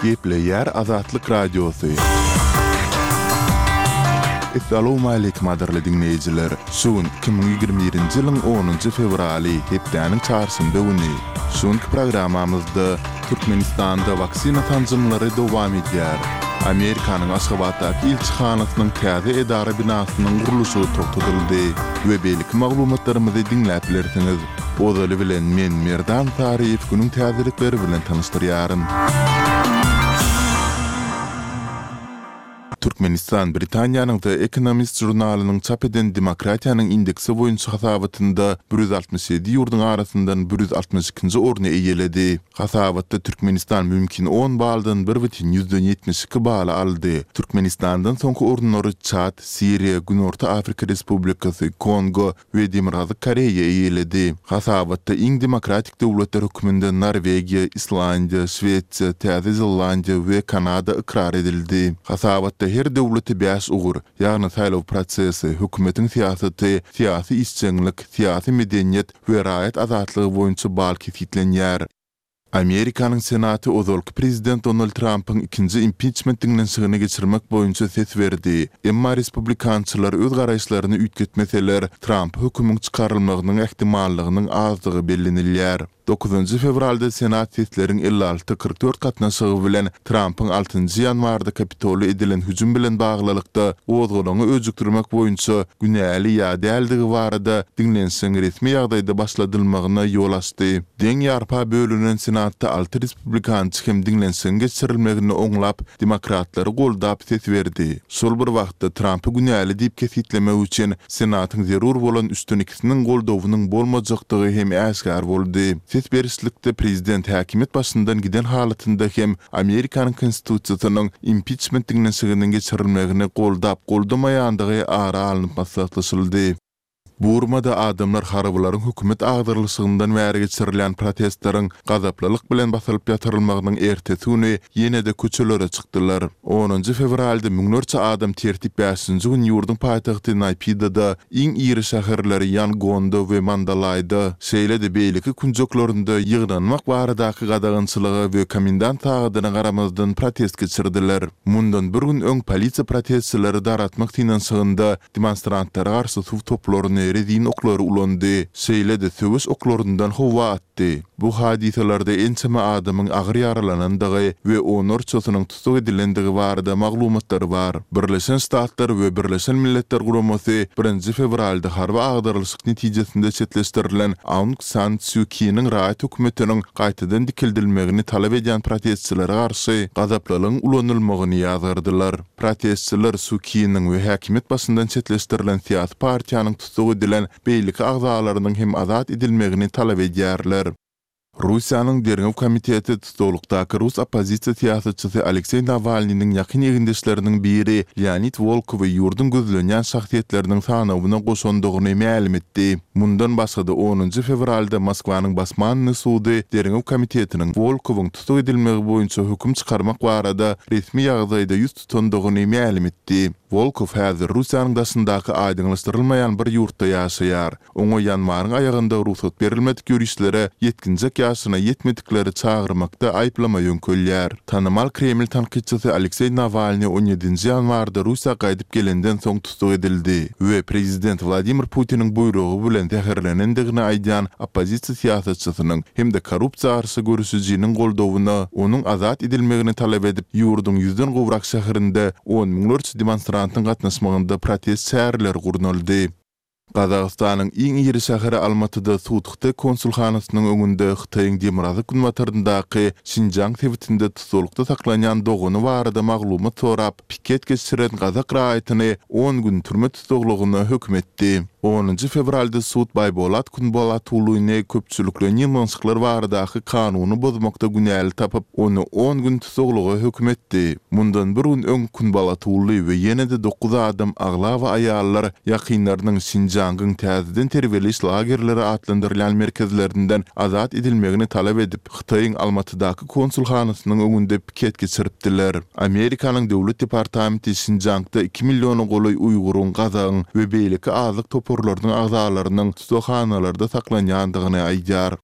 Gepleýär Azatlyk Radiosy. Essalawmaleýkim gadyrly diňleýjiler! Şu gün 2021-nji ýylyň onunjy fewraly, hepdäniň çarşenbe güni. Şu günki programmamyzda Türkmenistanda waksina sanjymlary dowam edýär. Amerikanyň Aşgabatdaky ilçihanasynyň täze edara binasynyň gurluşygy togtadyldy we beýleki maglumatlarymyzy diňläp bilersiňiz. Ozaly bilen men Merdan Saryýew günüň täzelikleri bilen tanyşdyrýaryn. Türkmenistan Britaniýanyň The Economist žurnalynyň çap eden Demokratiýanyň indeksi boýunça hasabatynda 167 ýurduň arasyndan 162-nji orny eýeledi. Hasabatda Türkmenistan mümkin on baldan bir bütin ýüzden 72 baly aldy. Türkmenistandan soňky orunlary Çad, Siriýa, Günorta Afrika Respublikasy, Kongo we Demirgazyk Koreýa eýeledi. Hasabatda iň demokratik döwletler hökmünde Norwegiýa, Islandiýa, Şwesiýa, Täze Zelandiýa we Kanada ykrar edildi. Hasabatda her döwlete bäş ugur, ýagny saýlaw prosesi, hökümetiň syýasaty, syýasy işjeňlik, syýasy medeniýet we raýat azatlygy boýunça bal kesgitlenýär. Amerikanyň Senaty ozalky prezident Donald Trampyň ikinji impiçment diňlenişigini geçirmek boýunça ses berdi. Emma respublikançylar öz garaýyşlaryny üýtgetmeseler, Trampa hökümiň çykarylmagynyň ähtimallygynyň azdygy bellenilýär. Dokuzynjy fewralda Senat sesleriň 56, 44 gatnaşygy bilen Trampyň altynjy ýanwarda Kapitola edilen hüjüm bilen baglylykda gozgalaňy öjükdirmek boýunça günäli ýa däldigi barada diňlenişigiň resmi ýagdaýda başladylmagyna ýol açdy. Deň ýarpa bölünen Senatda alty respublikançy hem diňlenişigiň geçirilmegini oňlap, demokratlary goldap ses berdi. Şol bir wagtda, Trampy günäli diýip kesgitlemek üçin Senatyň zerur bolan üçden ikisiniň goldawynyň bolmajakdygy hem äşgär boldy. Ses berişlikde prezident häkimiýet başyndan giden halatynda hem Amerikanyň Konstitusiýasynyň impiçment diňlenişiginiň geçirilmegini goldap-goldamaýandygy ara alnyp maslahatlaşyldy. Burmada adamlar harbylaryň hökümet agdarylyşygyndan bäri geçirilýän protestleriň gazaplylyk bilen basylyp ýatyrylmagynyň ertesi güni ýene-de köçelere çykdylar. Onunjy fewralda müňlerçe adam tertip bäşinji gün ýurduň paýtagty Naýpidada, iň iri şäherleri Ýangonda we Mandalaýda, şeýle-de beýleki künjeklerinde ýygnanmak baradaky gadagançylyga we komendant sagadyna garamazdan protest geçirdiler. Mundan bir gün öň polisiýa protestçileri daratmak synanyşygynda Demonstrantlara garşy suw toplaryny, rezin oklary ulandy, şeýle-de söweş oklaryndan howa atdy. Bu hadysalarda ençeme adamyň agyr ýaralanandygy we onlarçasynyň tussag edilendigi barada maglumatlar bar. Birleşen Ştatlar we Birleşen Milletler Guramasy birinji fewralda harby agdarylyşyk netijesinde çetleşdirilen Aung San Sýu Kiniň raýat hökümetiniň gaýtadan dikeldilmegini talap edýän protestçilere garşy gazaplylygyň ulanylmagyny ýazgardylar. Protestçiler Su Kiniň we häkimiýet başyndan çetleşdirilen syýasy partiýanyň tussag edilen beýleki agzalarynyň hem azat edilmegini talap edýärler. Russiýanyň Derňew komiteti tussaglykdaky rus oppozisiýa syýasatçysy Alekseý Nawalnynyň ýakyn egindeşleriniň biri Leonid Wolkowy ýurduň gözlenýän şahsyýetleriniň sanawyna goşandygyny mälim etdi. Mundan başga-da onunjy fewralda Moskwanyň Basmannyý sudy Derňew komitetiniň Wolkowyň tussag edilmegi boýunça höküm çykarmak barada resmi ýagdaýda ýüz tutandygyny mälim etdi. Wolkow häzir Russiýanyň daşyndaky aýdyňlaşdyrylmaýan bir ýurtda ýaşaýar. Oňa ýanwaryň aýagynda rugsat berilmedik ýörişlere ýetginjek ýaşyna ýetmedikleri çagyrmakda aýyplama ýöňkelýär. Tanymal Kreml tankytçysy Alekseý Nawalnyý on ýedinji ýanwarda Russiýa gaýdyp gelenden soň tussag edildi we prezident Wladimir Putiniň buýrugy bilen zäherlenendigini aýdýan oppozisiýa syýasatçysynyň hem-de korrupsiýa garşy göreşijiniň goldawyna onuň azat edilmegini talap edip, ýurduň ýüzden gowrak şäherinde on müňlerçe demonstrantyň gatnaşmagynda protest çäreleri gurnaldy. Gazagystanyň iň iri şäheri Almatyda sud hytaý konsulhanasynyň öňünde Hytaýyň demirgazyk-günbataryndaky Şinjiang sebitinde tussaglykda saklanýan dogany barada maglumat sorap, piket geçiren gazak raýatyny on gün türme tussaglygyna höküm etdi. Onunjy fewralda sud Baýbolat Kunbolatulyny köpçülikleýin ýygnanyşyklar baradaky kanuny bozmakda günäli tapyp, ony on gün tussaglyga höküm etdi. Mundan bir gün öň Kunbolatuly we ýene-de dokuz adam, aglaba aýallar, ýakynlarynyň Şinjiangyň täzeden terbiýeleýiş lagerleri atlandyrylýan merkezlerinden azat edilmegini talap edip, Hytaýyň Almatydaky konsulhanasynyň öňünde piket geçiripdiler. Amerikanyň Döwlet departamenti Şinjaňda iki milliona golaý uýguryň, gazagyň we beýleki azlyk toparlarynyň agzalarynyň tussaghanalarda saklanýandygyny aýdýar.